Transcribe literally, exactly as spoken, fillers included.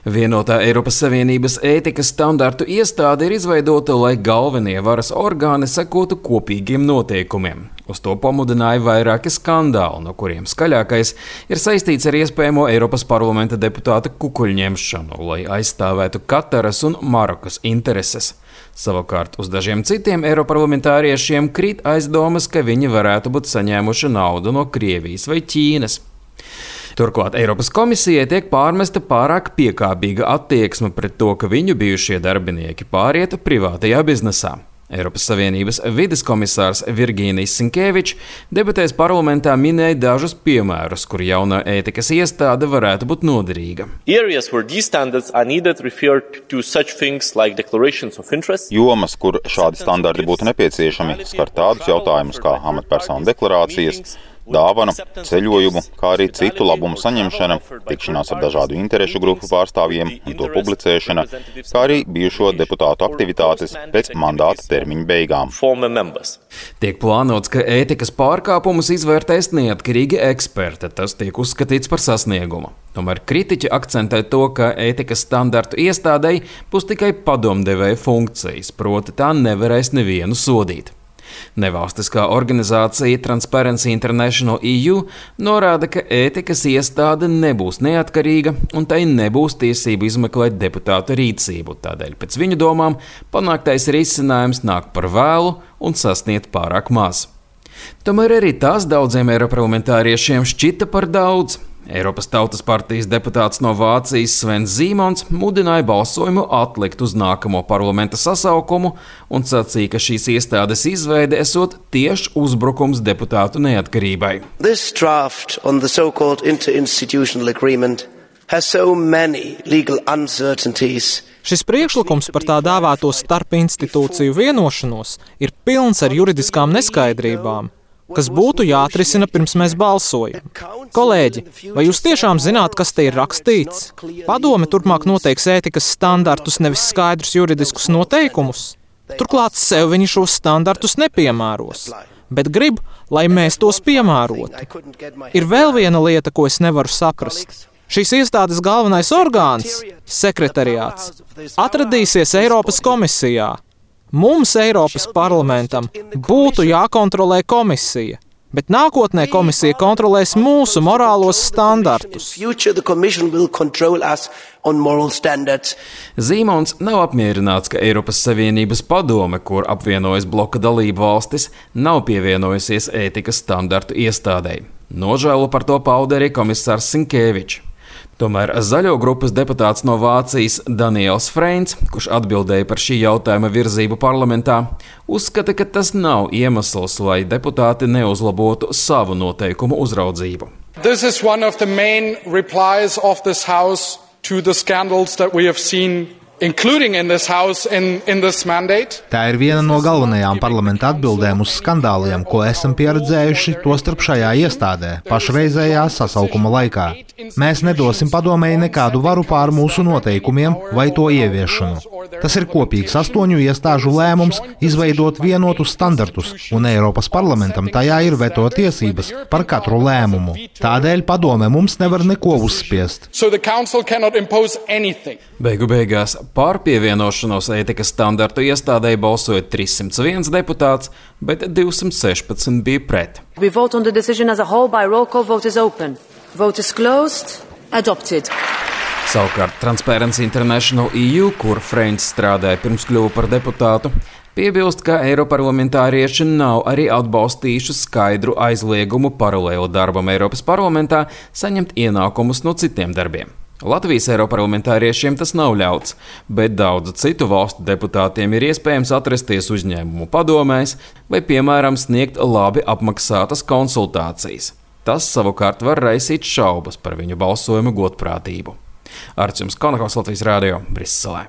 Vienotā Eiropas Savienības ētikas standartu iestāde ir izveidota, lai galvenie varas orgāni sekotu kopīgiem noteikumiem. Uz to pamudināja vairāki skandāli, no kuriem skaļākais ir saistīts ar iespējamo Eiropas parlamenta deputāta kukuļņemšanu, lai aizstāvētu Kataras un Marokas intereses. Savukārt uz dažiem citiem eiroparlamentāriešiem krīt aizdomas, ka viņi varētu būt saņēmuši naudu no Krievijas vai Ķīnas. Turklāt Eiropas komisijai tiek pārmesta pārāk piekāpīga attieksme pret to, ka viņu bijušie darbinieki pāriet privātajā biznesā. Eiropas Savienības vides komisārs Virginijs Sinkevičs debatēs parlamentā minēja dažus piemērus, kur jaunā ētikas iestāde varētu būt noderīga. Jomas, kur šādi standarti būtu nepieciešami, skar tādus jautājumus kā amatpersonu deklarācijas, dāvanu, ceļojumu, kā arī citu labumu saņemšana, tikšanās ar dažādu interešu grupu pārstāvjiem un to publicēšana, kā arī bijušo deputātu aktivitātes pēc mandāta termiņa beigām. Tiek plānots, ka ētikas pārkāpumus izvērtēs neatkarīgi eksperti. Tas tiek uzskatīts par sasniegumu. Tomēr kritiķi akcentē to, ka ētikas standartu iestādei būs tikai padomdevēja funkcijas, proti tā nevarēs nevienu sodīt. Nevalstiskā organizācija Transparency International E U norāda, ka ētikas iestāde nebūs neatkarīga un tai nebūs tiesību izmeklēt deputātu rīcību. Tādēļ pēc viņu domām panāktais risinājums nāk par vēlu un sasniegt pārāk maz. Tomēr arī tās daudziem eiroparlamentāriešiem šķita par daudz. Eiropas Tautas partijas deputāts no Vācijas Svens Zīmons mudināja balsojumu atlikt uz nākamo parlamenta sasaukumu un sacīja, ka šīs iestādes izveide esot tieši uzbrukums deputātu neatkarībai. This draft on the so-called interinstitutional agreement has so many legal uncertainties. Šis priekšlikums par tā dēvēto starpinstitūciju vienošanos ir pilns ar juridiskām neskaidrībām, kas būtu jāatrisina pirms mēs balsojam. Kolēģi, vai jūs tiešām zināt, kas te ir rakstīts? Padome turpmāk noteiks ētikas standartus, nevis skaidrus juridiskus noteikumus. Turklāt sev viņi šos standartus nepiemēros, bet grib, lai mēs tos piemērotu. Ir vēl viena lieta, ko es nevaru saprast. Šīs iestādes galvenais orgāns, sekretariāts, atradīsies Eiropas komisijā. Mums, Eiropas parlamentam, būtu jākontrolē komisija, bet nākotnē komisija kontrolēs mūsu morālos standartus. Zīmons nav apmierināts, ka Eiropas Savienības padome, kur apvienojas bloka dalību valstis, nav pievienojusies ētikas standartu iestādei. Nožēlu par to pauda arī komisārs Sinkevičs. Tomēr zaļo grupas deputāts no Vācijas Daniels Freins, kurš atbildēja par šī jautājuma virzību parlamentā, uzskata, ka tas nav iemesls, lai deputāti neuzlabotu savu noteikumu uzraudzību. This is one of the main replies of this house to the scandals that we have seen, including in this house in, in this mandate. Tā ir viena no galvenajām parlamenta atbildēm uz skandāliem, ko esam pieredzējuši tostarp šajā iestādē, pašreizējā sasaukuma laikā. Mēs nedosim padomēji nekādu varu pār mūsu noteikumiem vai to ieviešanu. Tas ir kopīgs astoņu iestāžu lēmums izveidot vienotus standartus, un Eiropas parlamentam tajā ir veto tiesības par katru lēmumu. Tādēļ padome mums nevar neko uzspiest. So the council cannot impose anything. Beigu beigās pār pievienošanos ētikas standartu iestādei balsoja trīs simts viens deputāts, bet divsimt sešpadsmit bija pret. We vote on the decision as a whole by roll call. Vote is open. Vote is closed. Adopted. Savukārt Transparency International E U, kur Freins strādāja pirms kļuva par deputātu, piebilst, ka eiroparlamentārieši nav arī atbalstījuši skaidru aizliegumu paralēli darbam Eiropas parlamentā saņemt ienākumus no citiem darbiem. Latvijas eiroparlamentāriešiem tas nav ļauts, bet daudzu citu valstu deputātiem ir iespējams atrasties uzņēmumu padomēs vai, piemēram, sniegt labi apmaksātas konsultācijas. Tas savukārt var raisīt šaubas par viņu balsojumu godprātību. Arts jums Konakovs, Latvijas radio, Briselē.